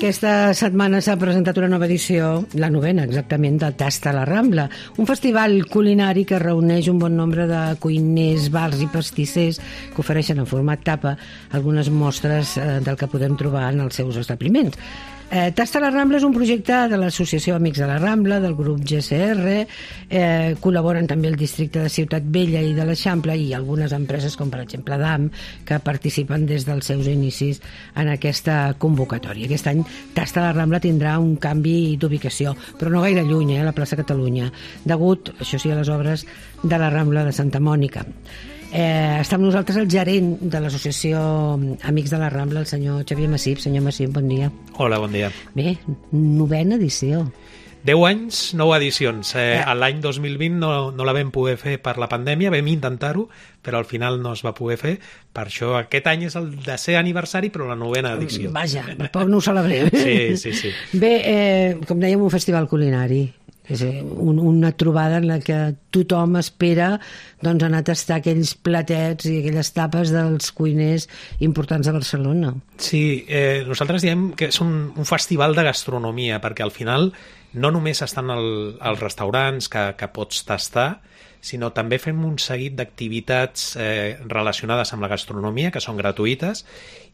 Aquesta setmana s'ha presentat una nova edició, la novena exactament, de Tasta la Rambla, un festival culinari que reuneix un bon nombre de cuiners, bars i pastissers que ofereixen en format tapa algunes mostres del que podem trobar en els seus establiments. Tasta la Rambla és un projecte de l'Associació Amics de la Rambla, del grup GCR, col·laboren també el districte de Ciutat Vella i de l'Eixample i algunes empreses com per exemple DAM, que participen des dels seus inicis en aquesta convocatòria. Aquest any Tasta la Rambla tindrà un canvi d'ubicació, però no gaire lluny, a la plaça Catalunya, degut, això sí, a les obres de la Rambla de Santa Mònica. Està amb nosaltres el gerent de l'Associació Amics de la Rambla, el senyor Xavier Massip. Senyor Massip, bon dia. Hola, bon dia. Bé, novena edició. 10 anys, 9 edicions. L'any 2020 no la vam poder fer per la pandèmia, vam intentar-ho, però al final no es va poder fer. Per això aquest any és el 10è aniversari, però la novena edició. Vaja, poc no ho celebrem. Sí. Bé, com dèiem, un festival culinari. És una trobada en la que tothom espera doncs, anar a tastar aquells platets i aquelles tapes dels cuiners importants de Barcelona. Sí, nosaltres diem que és un festival de gastronomia, perquè al final no només estan els restaurants que pots tastar, sinó també fem un seguit d'activitats relacionades amb la gastronomia, que són gratuïtes,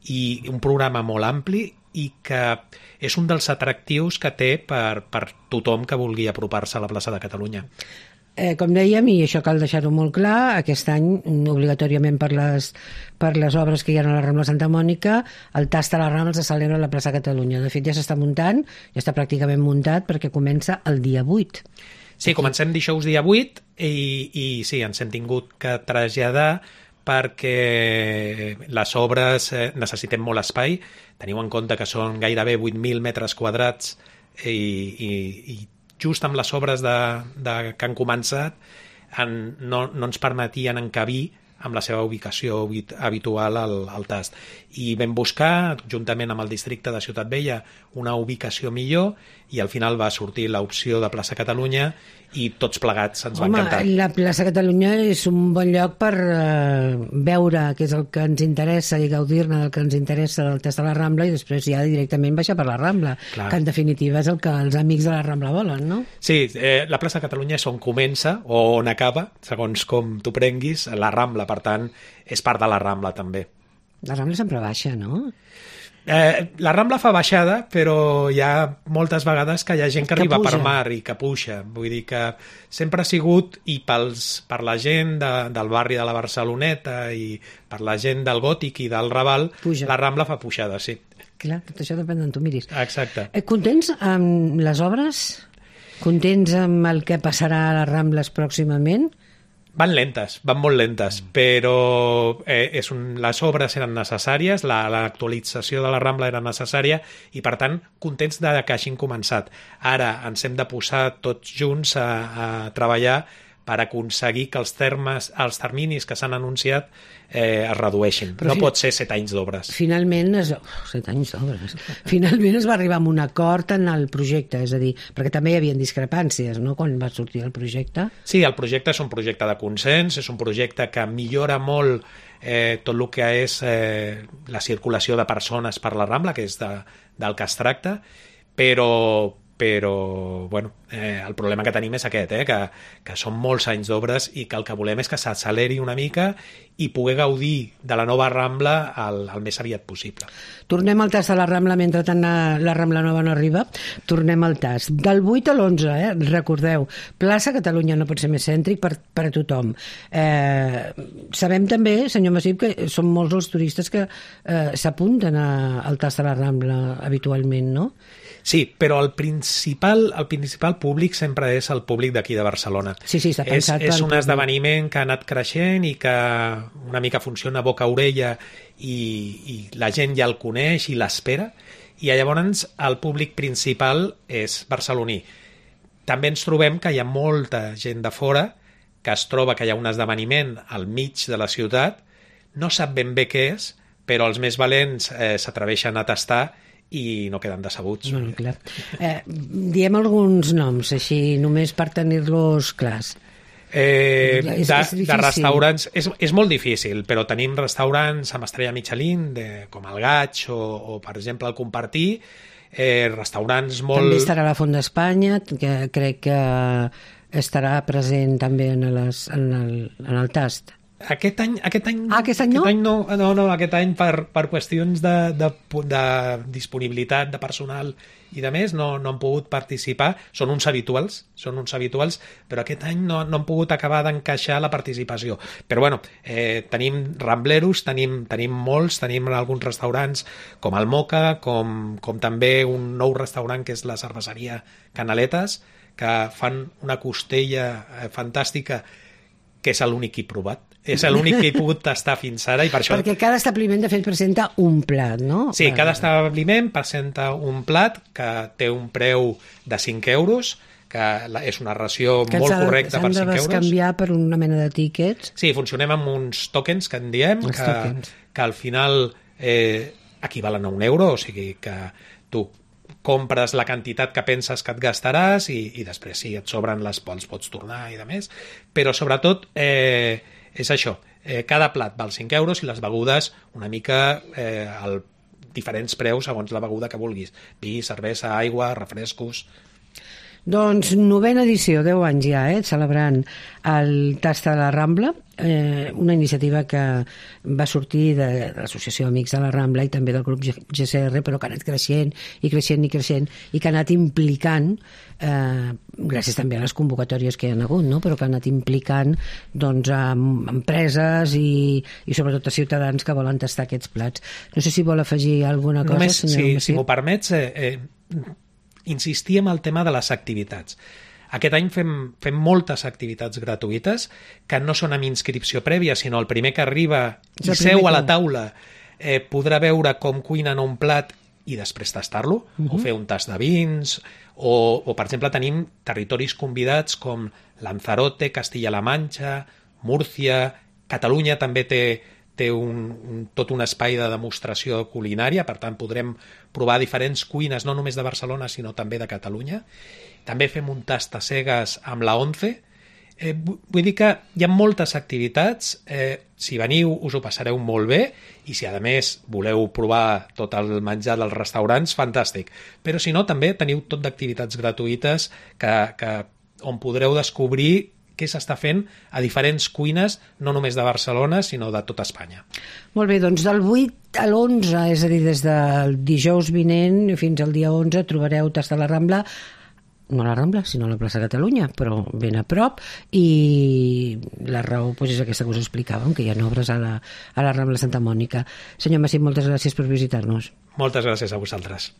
i un programa molt ampli i que és un dels atractius que té per tothom que vulgui apropar-se a la plaça de Catalunya. Com dèiem, i això cal deixar-ho molt clar, aquest any, obligatòriament per les obres que hi ha a la Rambla Santa Mònica, el Tasta a la Rambla se celebra a la plaça Catalunya. De fet, ja s'està muntant, ja està pràcticament muntat, perquè comença el dia 8. Sí, comencem dijous dia 8 i sí, ens hem tingut que traslladar perquè les obres necessitem molt espai. Teniu en compte que són gairebé 8.000 metres quadrats i just amb les obres que han començat no ens permetien encabir amb la seva ubicació habitual al tast. I vam buscar, juntament amb el districte de Ciutat Vella, una ubicació millor i al final va sortir l'opció de plaça Catalunya i tots plegats ens va encantar. La plaça Catalunya és un bon lloc per veure què és el que ens interessa i gaudir-ne del que ens interessa del Tast de la Rambla i després ja directament baixar per la Rambla, que en definitiva és el que els amics de la Rambla volen, no? Sí, la plaça Catalunya és on comença o on acaba, segons com t'ho prenguis, la Rambla, per tant, és part de la Rambla també. La Rambla sempre baixa, no? La Rambla fa baixada, però hi ha moltes vegades que hi ha gent que arriba per mar i que puja. Vull dir que sempre ha sigut, i per la gent del barri de la Barceloneta i per la gent del Gòtic i del Raval, la Rambla fa pujada, sí. Clar, tot això depèn d'on tu miris. Exacte. Contents amb les obres? Contents amb el que passarà a les Rambles pròximament? Van lentes, van molt lentes, però les obres eren necessàries, l'actualització de la Rambla era necessària i, per tant, contents de que hagin començat. Ara ens hem de posar tots junts a treballar per aconseguir que els terminis que s'han anunciat es redueixin. No pot ser 7 anys d'obres. Finalment, 7 anys d'obres. Finalment es va arribar a un acord en el projecte, és a dir, perquè també hi havia discrepàncies, no?, quan va sortir el projecte. Sí, el projecte és un projecte de consens, és un projecte que millora molt tot el que és la circulació de persones per la Rambla, que és del que es tracta, però bueno, el problema que tenim és aquest, que són molts anys d'obres i que el que volem és que s'acceleri una mica i poder gaudir de la nova Rambla el més aviat possible. Tornem al Tast de la Rambla, mentre tant la Rambla nova no arriba. Tornem al Tast. Del 8 a l'11, recordeu, plaça Catalunya, no pot ser més cèntric per a tothom. Sabem també, senyor Massip, que són molts els turistes que s'apunten al Tast de la Rambla habitualment, no? Sí, però el principal públic sempre és el públic d'aquí de Barcelona. Sí, està pensat és un esdeveniment que ha anat creixent i que una mica funciona boca a orella i la gent ja el coneix i l'espera, i llavors el públic principal és barceloní. També ens trobem que hi ha molta gent de fora que es troba que hi ha un esdeveniment al mig de la ciutat, no sap ben bé què és, però els més valents s'atreveixen a tastar i no queden decebuts. No, clar. Diem alguns noms, així, només per tenir-los clars. De restaurants és molt difícil, però tenim restaurants amb estrella Michelin com el Gaig o per exemple el Compartir, restaurants molt... També estarà la Font d'Espanya, que crec que estarà present també en el tast. Aquest any no? Aquest any no? Aquest any per qüestions de disponibilitat de personal i de més no han pogut participar. Són uns habituals, però aquest any no han pogut acabar d'encaixar la participació. Però bueno, tenim rambleros, tenim molts, tenim alguns restaurants com el Moca, com també un nou restaurant que és la cerveseria Canaletes, que fan una costella fantàstica, que és l'únic que he provat. És l'únic que he pogut tastar fins ara i per això... Perquè cada establiment, de fet, presenta un plat, no? Sí, cada establiment presenta un plat que té un preu de 5 euros, que és una ració molt correcta per 5 euros. S'han de bescanviar per una mena de tíquets. Sí, funcionem amb uns tokens que en diem, que al final equivalen a 1 euro, o sigui que tu compres la quantitat que penses que et gastaràs i després si et sobren les pots tornar i de més, però sobretot és això, cada plat val 5 euros i les begudes una mica diferents preus segons la beguda que vulguis, vi, cervesa, aigua, refrescos. Doncs 9a edició, 10 anys ja, celebrant el Tasta de la Rambla, una iniciativa que va sortir de l'Associació Amics de la Rambla i també del grup GCR, però que ha anat creixent i que ha anat implicant, gràcies també a les convocatòries que hi ha hagut, no? Però que ha anat implicant doncs, empreses i sobretot a ciutadans que volen tastar aquests plats. No sé si vol afegir alguna cosa, només, senyor si m'ho permets, insistir en el tema de les activitats. Aquest any fem moltes activitats gratuïtes que no són amb inscripció prèvia, sinó el primer que arriba i seu a la taula podrà veure com cuinen un plat i després tastar-lo, o fer un tast de vins, o per exemple tenim territoris convidats com Lanzarote, Castilla-La Manxa, Múrcia, Catalunya també té tot un espai de demostració culinària, per tant podrem provar diferents cuines, no només de Barcelona, sinó també de Catalunya. També fem un tast a cegues amb la ONCE. Vull dir que hi ha moltes activitats, si veniu us ho passareu molt bé i si a més voleu provar tot el menjar dels restaurants, fantàstic. Però si no, també teniu tot d'activitats gratuïtes on podreu descobrir què s'està fent a diferents cuines, no només de Barcelona, sinó de tota Espanya. Molt bé, doncs del 8 a l'11, és a dir, des del dijous vinent fins al dia 11, trobareu Tast de la Rambla, no a la Rambla, sinó a la plaça Catalunya, però ben a prop, i la raó és aquesta que us explicàvem, que hi ha obres a la Rambla Santa Mònica. Senyor Massip, moltes gràcies per visitar-nos. Moltes gràcies a vosaltres.